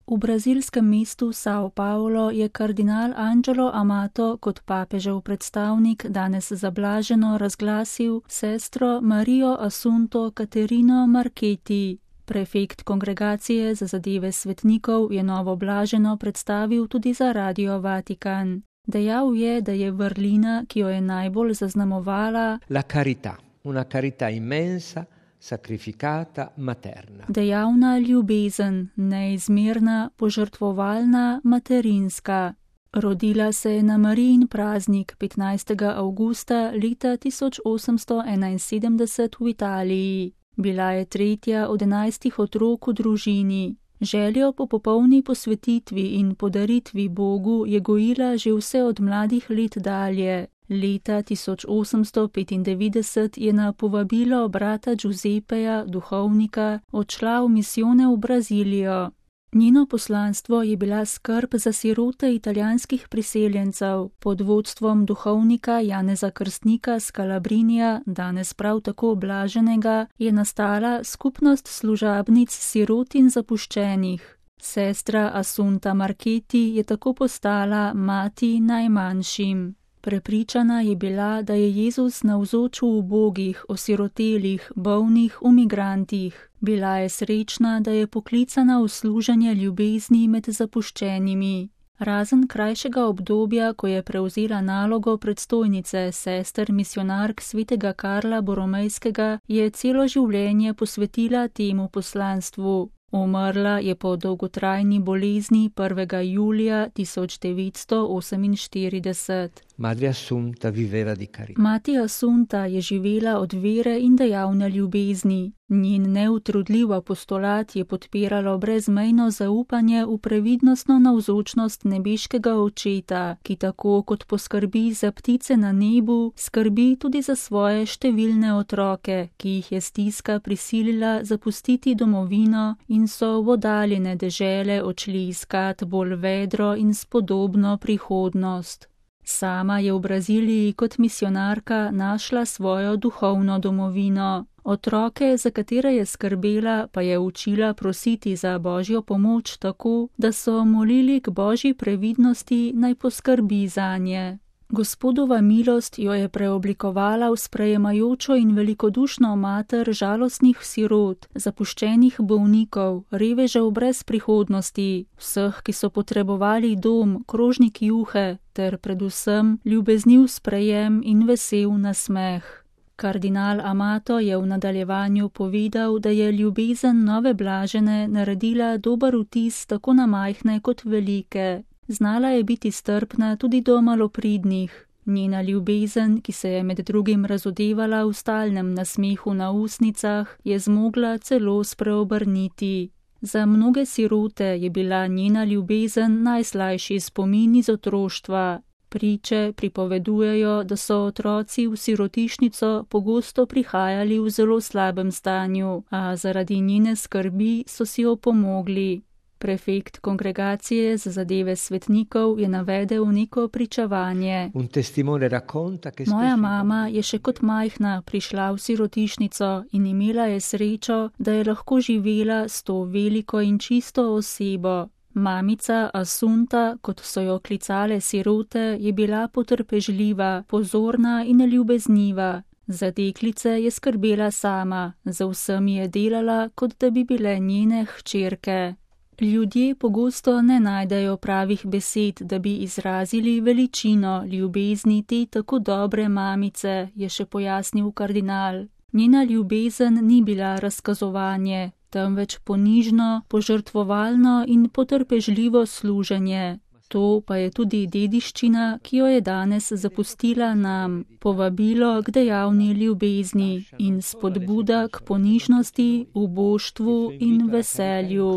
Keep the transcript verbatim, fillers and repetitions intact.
V brazilskem mestu São Paulo je kardinal Ângelo Amato kot papežev predstavnik danes zablaženo razglasil sestro Marijo Assunto Caterino Marchetti. Prefekt kongregacije za zadeve svetnikov je novo blaženo predstavil tudi za Radio Vatikan. Dejal je, da je vrlina, ki jo je najbolj zaznamovala la carità, una carità immensa, sacrificata, materna. Dejavna ljubezen, neizmerna, požrtvovalna, materinska. Rodila se je na Marijin praznik petnajstega avgusta leta tisoč osemsto enainsedemdeset v Italiji. Bila je tretja od enajstih otrok v družini. Željo po popolni posvetitvi in podaritvi Bogu je gojila že vse od mladih let dalje. Leta tisoč osemsto petindevetdeset je na povabilo brata Giuseppeja, duhovnika, odšla v misijone v Brazilijo. Njeno poslanstvo je bila skrb za sirote italijanskih priseljencev. Pod vodstvom duhovnika Janeza Krstnika z Calabrinija, danes prav tako blaženega, je nastala skupnost služabnic sirot in zapuščenih. Sestra Assunta Marchetti je tako postala mati najmanjšim. Prepričana je bila, da je Jezus navzoč v ubogih, osirotelih, bolnih, v migrantih. Bila je srečna, da je poklicana v služenje ljubezni med zapuščenimi. Razen krajšega obdobja, ko je prevzela nalogo predstojnice sester misionark svetega Karla Boromejskega, je celo življenje posvetila temu poslanstvu. Umrla je po dolgotrajni bolezni prvega julija tisoč devetsto oseminštirideset. Madre Assunta viveva di carità. Mati Assunta je živela od vere in dejavne ljubezni. Njen neutrudljiv apostolat je podpiralo brezmejno zaupanje v previdnostno navzočnost nebeškega Očeta, ki tako kot poskrbi za ptice na nebu, skrbi tudi za svoje številne otroke, ki jih je stiska prisilila zapustiti domovino in so v oddaljene dežele odšli iskat bolj vedro in spodobno prihodnost. Sama je v Braziliji kot misionarka našla svojo duhovno domovino. Otroke, za katere je skrbela, pa je učila prositi za Božjo pomoč tako, da so molili k Božji previdnosti, naj poskrbi zanje. Gospodova milost jo je preoblikovala v sprejemajočo in velikodušno mater žalostnih sirot, zapuščenih bolnikov, revežev brez prihodnosti, vseh, ki so potrebovali dom, krožnik juhe, ter predvsem ljubezniv sprejem in vesel nasmeh. Kardinal Amato je v nadaljevanju povedal, da je ljubezen nove blažene naredila dober vtis tako na majhne kot velike. Znala je biti strpna tudi do malopridnih. Njena ljubezen, ki se je med drugim razodevala v stalnem nasmehu na usnicah, je zmogla celo spreobrniti. Za mnoge sirote je bila njena ljubezen najslajši spomin iz otroštva. Priče pripovedujejo, da so otroci v sirotišnico pogosto prihajali v zelo slabem stanju, a zaradi njene skrbi so si opomogli. Prefekt kongregacije za zadeve svetnikov je navedel neko pričevanje. Moja mama je še kot majhna prišla v sirotišnico in imela je srečo, da je lahko živela s to veliko in čisto osebo. Mamica Assunta, kot so jo klicale sirote, je bila potrpežljiva, pozorna in ljubezniva. Za deklice je skrbela sama, za vsemi je delala, kot da bi bile njene hčerke. Ljudje pogosto ne najdejo pravih besed, da bi izrazili veličino ljubezni te tako dobre mamice, je še pojasnil kardinal. Njena ljubezen ni bila razkazovanje, temveč ponižno, požrtvovalno in potrpežljivo služenje. To pa je tudi dediščina, ki jo je danes zapustila nam, povabilo k dejavni ljubezni in spodbuda k ponižnosti, uboštvu in veselju.